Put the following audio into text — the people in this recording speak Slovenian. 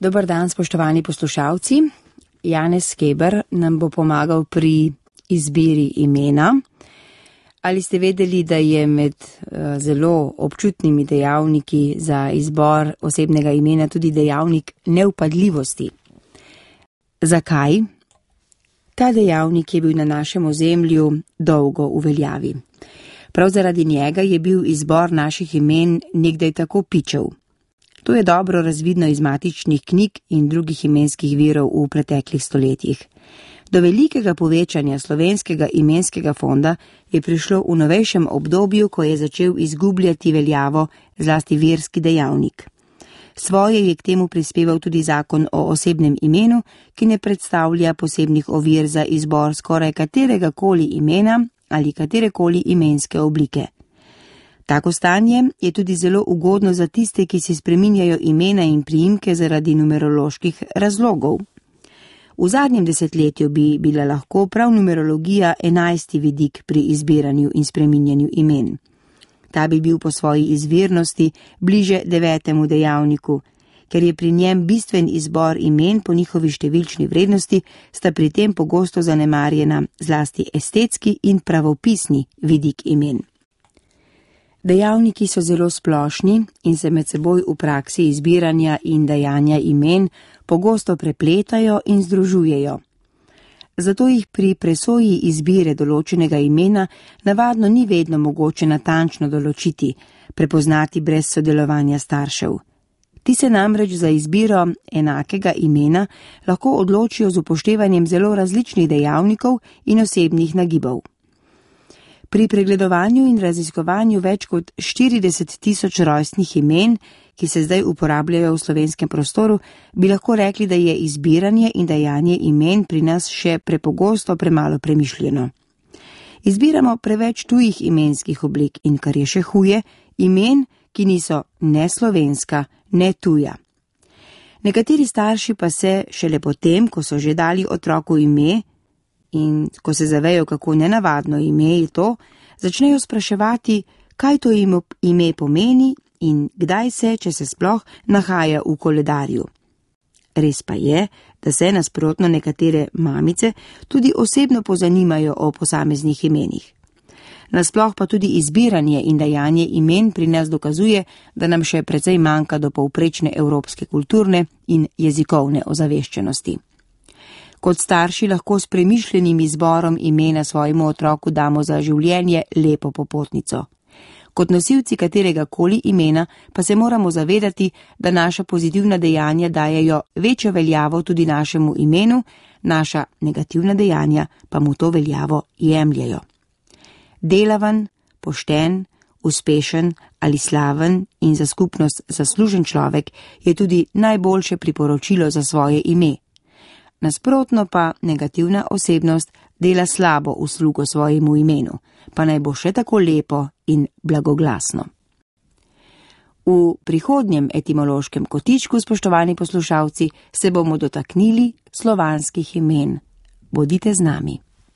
Dober dan, spoštovani poslušalci. Janez Keber nam bo pomagal pri izbiri imena. Ali ste vedeli, da je med zelo občutnimi dejavniki za izbor osebnega imena tudi dejavnik nevpadljivosti? Zakaj? Ta dejavnik je bil na našem ozemlju dolgo v veljavi. Prav zaradi njega je bil izbor naših imen nekdaj tako pičev. To je dobro razvidno iz matičnih knjig in drugih imenskih virov v preteklih stoletjih. Do velikega povečanja slovenskega imenskega fonda je prišlo v novejšem obdobju, ko je začel izgubljati veljavo zlasti verski dejavnik. Svoje je k temu prispeval tudi zakon o osebnem imenu, ki ne predstavlja posebnih ovir za izbor skoraj katerega koli imena ali katerekoli imenske oblike. Tako stanje je tudi zelo ugodno za tiste, ki si spreminjajo imena in priimke zaradi numeroloških razlogov. V zadnjem desetletju bi bila lahko prav numerologija 11. vidik pri izbiranju in spreminjanju imen. Ta bi bil po svoji izvirnosti bliže 9. dejavniku, ker je pri njem bistven izbor imen po njihovi številčni vrednosti, sta pri tem pogosto zanemarjena zlasti estetski in pravopisni vidik imen. Dejavniki so zelo splošni in se med seboj v praksi izbiranja in dajanja imen pogosto prepletajo in združujejo. Zato jih pri presoji izbire določenega imena navadno ni vedno mogoče natančno določiti, prepoznati brez sodelovanja staršev. Ti se namreč za izbiro enakega imena lahko odločijo z upoštevanjem zelo različnih dejavnikov in osebnih nagibov. Pri pregledovanju in raziskovanju več kot 40 000 rojstnih imen, ki se zdaj uporabljajo v slovenskem prostoru, bi lahko rekli, da je izbiranje in dajanje imen pri nas še prepogosto premalo premišljeno. Izbiramo preveč tujih imenskih oblik in, kar je še huje, imen, ki niso ne slovenska, ne tuja. Nekateri starši pa se šele potem, ko so že dali otroku ime, in ko se zavejo, kako nenavadno ime je to, začnejo spraševati, kaj to ime pomeni in kdaj se, če se sploh, nahaja v koledarju. Res pa je, da se nasprotno nekatere mamice tudi osebno pozanimajo o posameznih imenih. Nasploh pa tudi izbiranje in dajanje imen pri nas dokazuje, da nam še precej manjka do povprečne evropske kulturne in jezikovne ozaveščenosti. Kot starši lahko s premišljenim izborom imena svojemu otroku damo za življenje lepo popotnico. Kot nosilci katerega koli imena pa se moramo zavedati, da naša pozitivna dejanja dajejo večjo veljavo tudi našemu imenu, naša negativna dejanja pa mu to veljavo jemljejo. Delaven, pošten, uspešen ali slaven in za skupnost zaslužen človek je tudi najboljše priporočilo za svoje ime. Nasprotno pa negativna osebnost dela slabo uslugo svojemu imenu, pa naj bo še tako lepo in blagoglasno. V prihodnjem etimološkem kotičku, spoštovani poslušalci, se bomo dotaknili slovanskih imen. Bodite z nami.